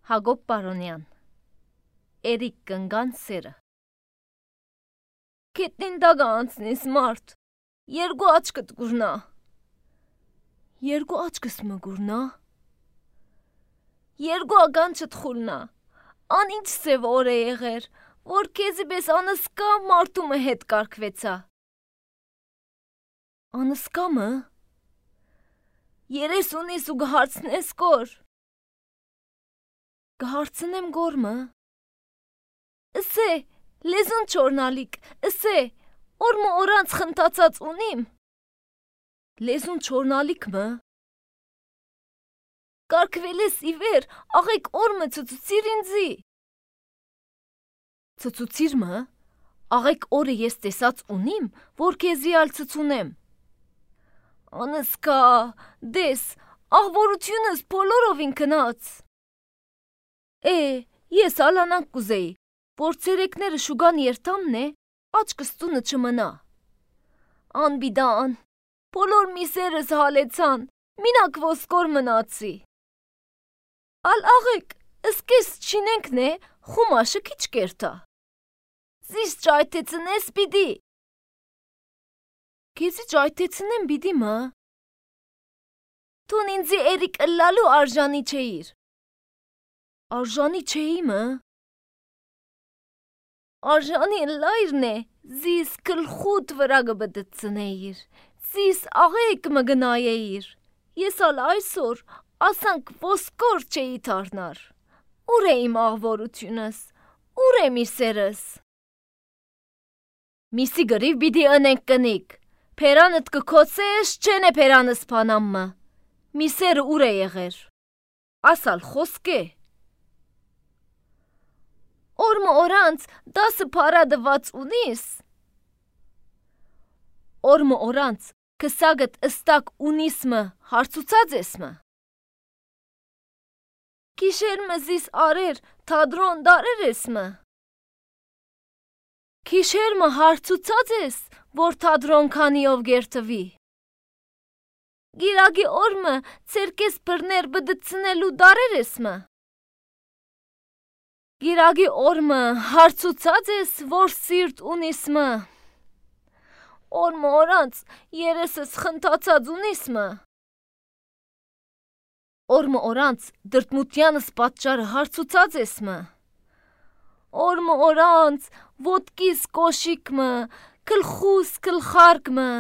Հակոբ Պարոնյան Էրիկ կնգան սերը Կետնին դագա անցնիս մարդ, երկու աչկդ գուրնա։ Երկու աչկս մը գուրնա։ Երկու ագանչդ խուլնա, ան ինչ սև օր է եղեր, որ կեզի բես անսկա մարդումը հետ կարկվեցա։ Անսկա մը? Երես ունիս ու գհարցնես կոր։ Գհարցնեմ գոր մը։ Ասե, լեզուն չորնալիք, ասե, օրմը օրանց խնտացած ունիմ։ Լեզուն չորնալիք մը։ Կարկվելես իվեր, աղեք օրմը ծծուցիր ինձի։ Ծծուցիր մը, աղեք օրը ես տեսած ունիմ, որ կեզի ալ ծծունեմ։ Անսկա, դես, աղվորությունս բոլորովին կնաց։ Ես ալանանք կուզեի, որ ցերեկները շուգան երթամն է, աչկս տունը չմնա։ Անբիդան, բոլոր միսերս հալեցան, մինակ ոսկոր մնացի։ Ալ աղեք, ըսկես չինենքն է, խումաշը քիչ կերտա։ Զիս ճայթեցնես բիդի։ Կեզի ճայթեցնեմ բիդի մը։ Տուն ինձի Էրիկ ըլլալու արժանի չէիր։ Արժանի չէի մը։ Արժանի ըլլայրն է, զիս կլխուտ վրա գբդծնեիր, զիս աղեք մը գնայեիր, ես ալ այսօր ասանք ոսկոր չէի թարնար, ուր է իմ աղվորությունս, ուր է միսերս։ Միսի գրիվ բիդի ընենք կնիկ, պերանըտ կքոցես չեն է պերանս պանամմը, միսերը ուր է եղեր, ասալ խոսք է։ Օրմը օրանց դասը պարադված ունիս։ Օրմը օրանց կսագըտ ըստակ ունիս մը հարցուցած ես մը։ Կիշեր մը զիս արեր թադրոն դարեր ես մը։ Կիշեր մը հարցուցած ես, որ թադրոն քանիով գերտվի։ Գիրագի օրմը ցերկես բրներ բդծնելու դարեր ես մը։ Գիրագի օրմը հարցուցած ես, որ սիրտ ունիս մը։ Օրմը օրանց երեսս խնտացած ունիս մը։ Օրմը օրանց դրտմությանս պատճարը հարցուցած ես մը։ Օրմը օրանց ոտքիս կոշիկ մը, կլխուս կլխարկ մը,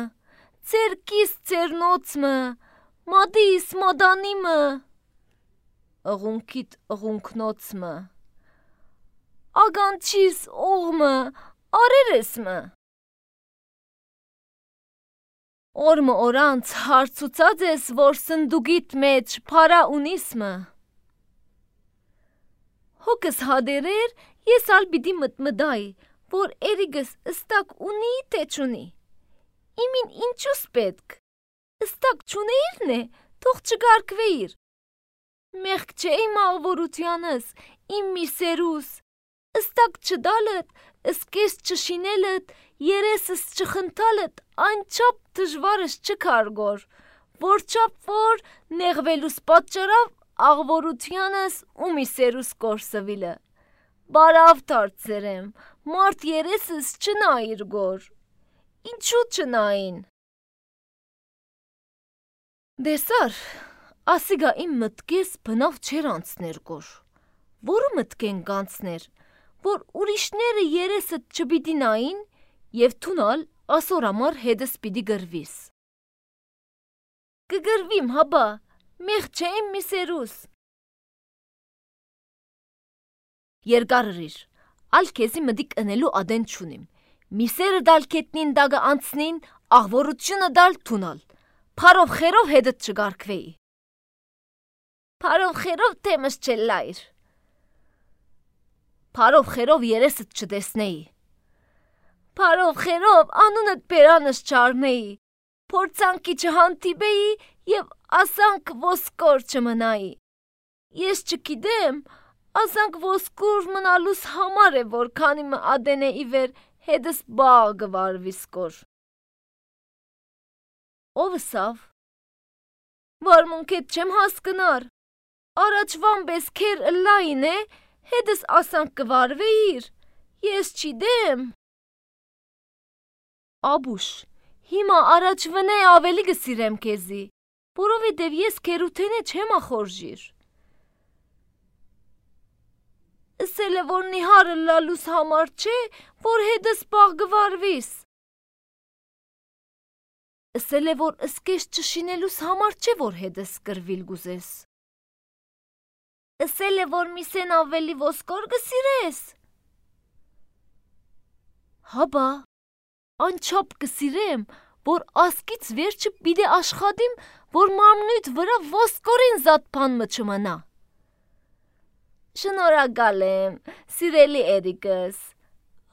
ցերկիս ցերնոց մը, մադիս մադանի մը, ըղունքիտ ըղունքնոց մը, ագանչիս օղմը, արեր ես մը։ Օրմը օրանց հարցուցած ես, որ սնդուգիտ մեջ պարա ունիս մը։ Հոգս հադերեր, ես ալ բիդի մտմդայի, որ Էրիգս ըստակ ունի թե չունի։ Իմին ինչուս պետք։ Ըստակ չունեիրն է, թող չգարկվեիր։ Մեղք չէ իմ աղվորությանս, իմ միսերուս, ըստակ չդալըտ, ըսկես չշինելըտ, երեսս չխնտալըտ, անչապ դժվարս չքարգոր, որ չապ որ նեղվելուս պատճարավ աղվորությանս ու միսերուս կորսվիլը։ Բարավ դարձերեմ, մարդ երեսս չնայիր գոր, ինչու չնային։ Դեսար, ասիգա իմ մտկես բնավ չեր անցներ գոր, որը մտկեն կանցներ, որ ուրիշները երեսըտ չբիդի նային և թունալ ասոր ամար հետս պիդի գրվիս։ Կգրվիմ հաբա, մեղ չէ իմ միսերուս։ Երգարրիր, ալ կեզի մդիկ ընելու ադեն չունիմ, միսերը դալ կետնին դագը անցնին, աղվորությունը դալ թունալ, պարով խերով հետըտ չգարկվեի։ Պարով խերով թեմս չելլայր։ Պարով խերով երեսըտ չտեսնեի։ Պարով խերով անունըտ պերանս չարնեի, փորձանքի չհանդիպեի և ասանք ոսկոր չմնայի։ Ես չգիտեմ, ասանք ոսկոր մնալուս համար է, որ քանի մը ադեն է իվեր հետս բաղ գվարվիս կոր։ Ով սավ։ Վարմունքետ չեմ հասկնար։ Առաջվան պես քեր լայն է, հետս ասանք կվարվեիր, ես չիդեմ։ Աբուշ, հիմա առաջվնե ավելի գսիրեմ քեզի, որովհետև ես քերութենե չեմ ախորժիր։ Ասել է, որ նիհարը լալուս համար չէ, որ հետս պաղ գվարվիս։ Ասել է, որ ըսկես չշինելուս համար չէ, որ հետս կրվիլ գուզես։ Ասել է, որ միսեն ավելի ոսկոր գսիրես։ Հաբա, անչապ կսիրեմ, որ ասկից վերջը պիտի աշխատիմ, որ մարմնույթ վրա ոսկորին զատպան մը չմնա։ Շնորհակալ եմ, սիրելի Էրիկս,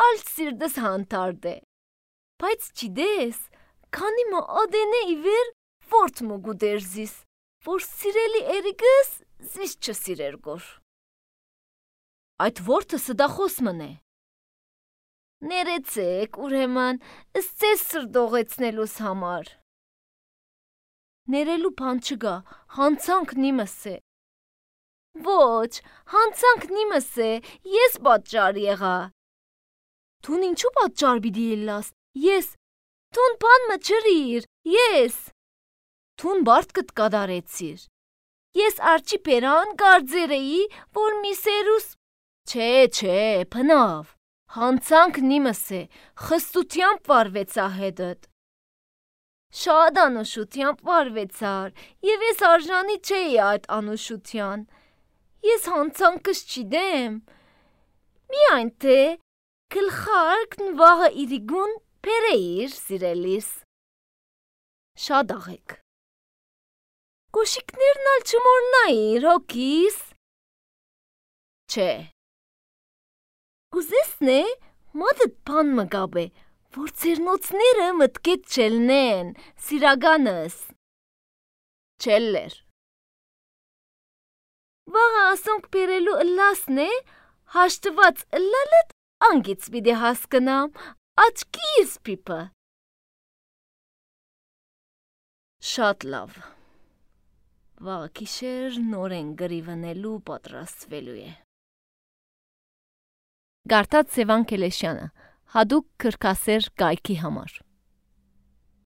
ալ սիրտս հանտարդ է, բայց չիդես, քանի մը ադենե իվեր որդ մը գուդերզիս, որ սիրելի Էրիկս զիս չսիրեր գոր։ Այդ որդը սդախոս մն է։ Ներեցեք, ուրեմն, ըսցես սրդողեցնելուս համար։ Ներելու բան չգա, հանցանք նիմս է։ Ոչ, հանցանք նիմս է, ես պատճառ եղա։ Թուն ինչու պատճառ բիդի ելլաս, ես, թուն բան մը չրիր, ես։ Թուն բարդ կտ կադարեցիր։ Ես արջի պերան գարձեր էի, որ միսերուս, չէ, պնավ, հանցանք նիմս է, խստությամբ վարվեցա հետըտ։ Շատ անուշությամբ վարվեցար, և ես արժանի չէի այդ անուշության, ես հանցանքս չիդեմ, միայն թե գլխարկն վաղը իրիգուն պերեիր սիրելիս։ Շատ աղեք։ Կոշիկներն ալ չմորնայիր, հոգիս։ Չէ։ Գուզեսն է, մադըտ բան մը գաբ է, որ ծերնոցները մտկետ չելնեն, սիրագանս։ Չելլեր։ Վաղը ասոնք պերելու ըլլասն է, հաշտված ըլլալըտ անգից բիդի հասկնամ, աչկիս պիպը։ Շատ լավ։ Վաղ կիշեր նորեն գրիվնելու պատրաստվելու է։ Գարտած Սևան Քելեշյանը, հադուկ քրքասեր կայքի համար։